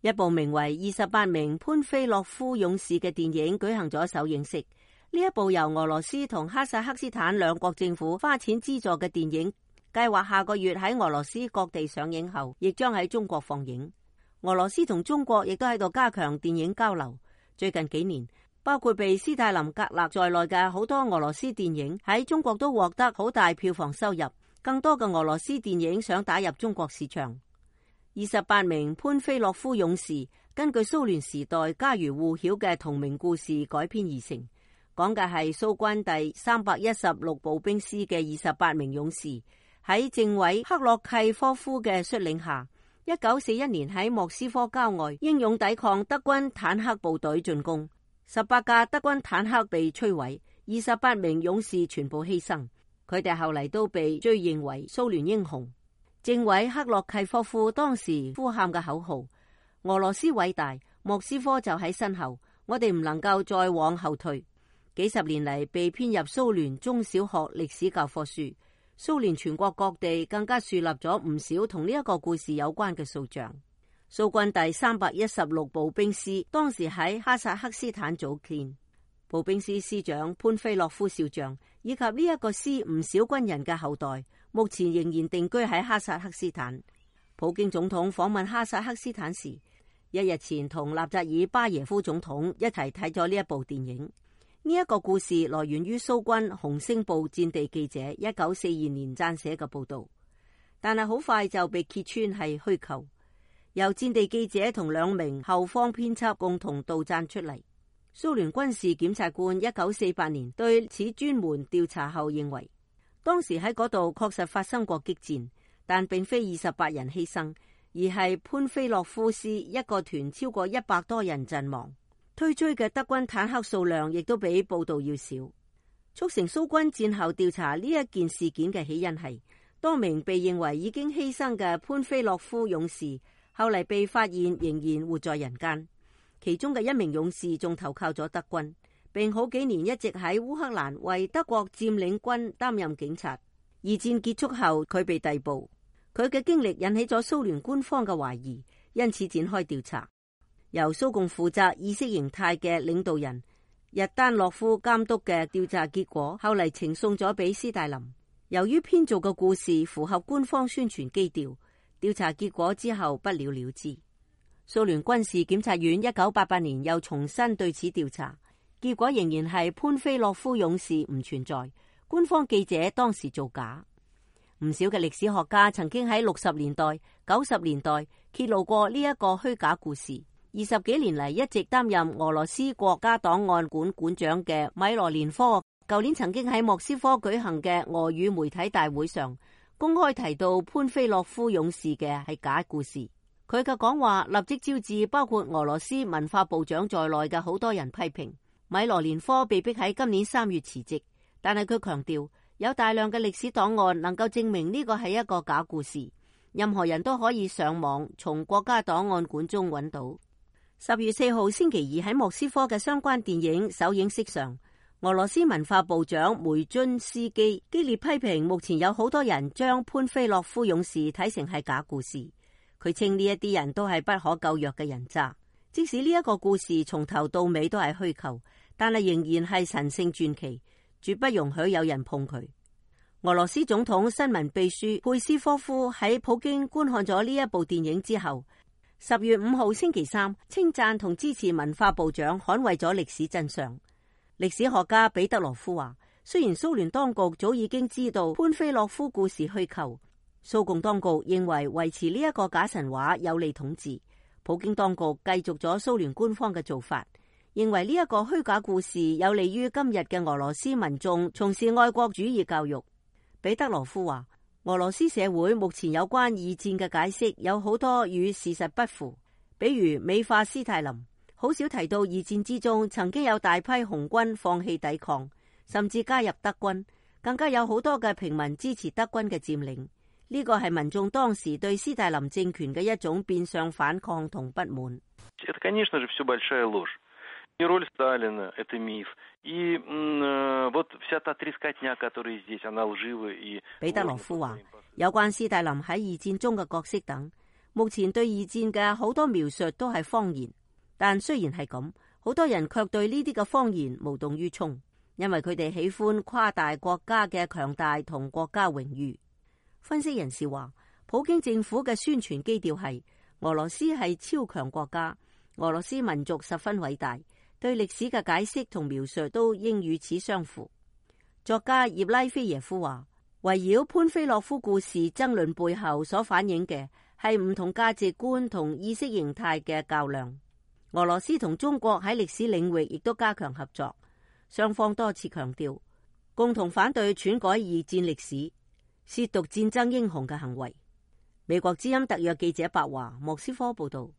一部名為《28名潘菲洛夫勇士》嘅電影舉行咗首映式。呢一部由俄羅斯同哈薩克斯坦兩國政府花錢資助嘅電影，計劃下個月喺俄羅斯各地上映後，亦將喺中國放映。俄羅斯同中國亦都喺度加強電影交流。最近幾年，包括被斯大林格勒在內嘅好多俄羅斯電影喺中國都獲得好大票房收入。更多嘅俄羅斯電影想打入中國市場。28名潘菲洛夫勇士根據蘇聯時代家喻戶曉嘅同名故事改編而成，講嘅係蘇軍第316步兵師嘅28名勇士喺政委克洛契科夫嘅率領下，1941年喺莫斯科郊外英勇抵抗德軍坦克部隊進攻，18架德軍坦克被摧毀，28名勇士全部犧牲，佢哋後嚟都被追認為蘇聯英雄。政委克洛契科夫當時呼喊嘅口號：俄羅斯偉大，莫斯科就喺身後，我哋唔能夠再往後退。幾十年嚟被編入蘇聯中小學歷史教科書，蘇聯全國各地更加樹立咗唔少同呢一個故事有關嘅塑像。蘇軍第316步兵師當時喺哈薩克斯坦組建，步兵師師長潘菲洛夫少將以及呢一個師唔少軍人嘅後代，目前仍然定居喺哈薩克斯坦。普京總統訪問哈薩克斯坦時，一日前同納扎爾巴耶夫總統一齊睇咗呢一部電影。呢一個故事來源於蘇軍紅星報戰地記者1942年撰寫嘅報道，但係好快就被揭穿係虛構，由戰地記者同2名後方編輯共同杜撰出嚟。蘇聯軍事檢察官1948年對此專門調查後認為，當時喺嗰度確實發生過激戰，但並非28人犧牲，而係潘菲洛夫師一個團超過100多人陣亡。推追嘅德軍坦克數量亦都比報道要少。促成蘇軍戰後調查呢一件事件嘅起因係，多名被認為已經犧牲嘅潘菲洛夫勇士後嚟被發現仍然活在人間。其中嘅1名勇士仲投靠咗德軍，並好幾年一直喺烏克蘭為德國佔領軍擔任警察。二戰結束後，佢被逮捕，佢嘅經歷引起咗蘇聯官方嘅懷疑，因此展開調查。由蘇共負責意識形態嘅領導人日丹諾夫監督嘅調查結果，後嚟呈送咗俾斯大林。由於編造嘅故事符合官方宣傳基調，調查結果之後不了了之。蘇聯軍事檢察院1988年又重新對此調查，結果仍然係潘菲洛夫勇士唔存在，官方記者當時造假。唔少嘅歷史學家曾經喺60年代、90年代揭露過呢一個虛假故事。20幾年嚟一直擔任俄羅斯國家檔案館館長嘅米羅連科，舊年曾經喺莫斯科舉行嘅俄語媒體大會上公開提到潘菲洛夫勇士嘅係假故事。佢嘅講話立即招致包括俄羅斯文化部長在內嘅好多人批評。米羅連科被逼喺今年3月辭職，但係佢強調有大量嘅歷史檔案能夠證明呢個係一個假故事，任何人都可以上網從國家檔案館中揾到。10月4號星期二喺莫斯科嘅相關電影首映式上，俄羅斯文化部長梅津斯基激烈批評目前有好多人將潘菲洛夫勇士睇成係假故事。佢稱呢一啲人都係不可救藥嘅人渣，即使呢一個故事從頭到尾都係虛構，但係仍然係神聖傳奇，絕不容許有人碰佢。俄羅斯總統新聞秘書佩斯科夫喺普京觀看咗呢一部電影之後，10月5號星期三稱讚同支持文化部長捍衛咗歷史真相。歷史學家彼得羅夫話，雖然蘇聯當局早已經知道潘菲洛夫故事虛構，蘇共當局認為維持呢一個假神話有利統治，普京當局繼續咗蘇聯官方嘅做法，認為呢一個虛假故事有利於今日嘅俄羅斯民眾從事愛國主義教育。彼得羅夫話，俄羅斯社會目前有關二戰嘅解釋有好多與事實不符，比如美化斯大林，好少提到二戰之中曾經有大批紅軍放棄抵抗，甚至加入德軍，更加有好多嘅平民支持德軍嘅佔領。呢個係民眾當時對斯大林政權嘅一種變相反抗同不滿。роль Сталина – это миф. И вот вся та трескотня, которая здесь, она лживая. 彼得羅夫話，有關斯大林喺二戰中嘅角色等，目前對二戰嘅好多描述都係謊言，但雖然係咁，好多人卻對呢啲嘅謊言無動於衷，因為佢哋喜歡誇大國家嘅強大同國家榮譽。分析人士話，普京政府嘅宣傳基調係俄羅斯係超強國家，俄羅斯民族十分偉大，對歷史嘅解釋同描述都應與此相符。作家葉拉菲耶夫話，圍繞潘菲洛夫故事爭論背後所反映嘅係唔同價值觀同意識形態嘅較量。俄羅斯同中國喺歷史領域亦都加強合作，雙方多次強調共同反對篡改二戰歷史、褻瀆戰爭英雄嘅行為。美國之音特約記者白華莫斯科報道。